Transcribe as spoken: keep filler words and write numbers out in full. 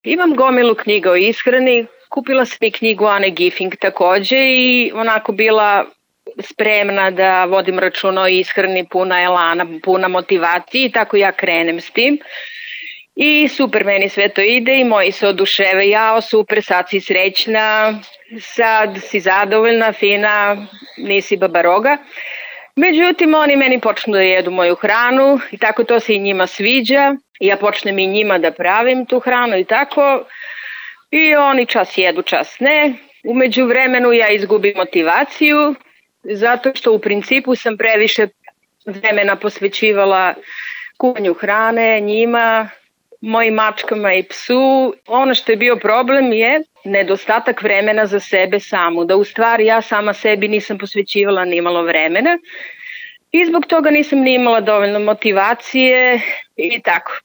Imam gomilu knjiga o ishrani, kupila sam i knjigu Ane Gifing takođe i onako bila spremna da vodim računa o ishrani, puna elana, puna motivacije i tako ja krenem s tim. I super, meni sve to ide i moji se oduševe, jao super, sad si srećna, sad si zadovoljna, fina, nisi babaroga. Međutim, oni meni počnu da jedu moju hranu i tako to se i njima sviđa. Ja počnem i njima da pravim tu hranu i tako. I oni čas jedu, čas ne. Umeđu vremenu ja izgubim motivaciju zato što u principu sam previše vremena posvećivala kuvanju hrane, njima, mojim mačkama i psu. Ono što je bio problem je nedostatak vremena za sebe samu, da u stvari ja sama sebi nisam posvećivala ni malo vremena i zbog toga nisam ni imala dovoljno motivacije i tako.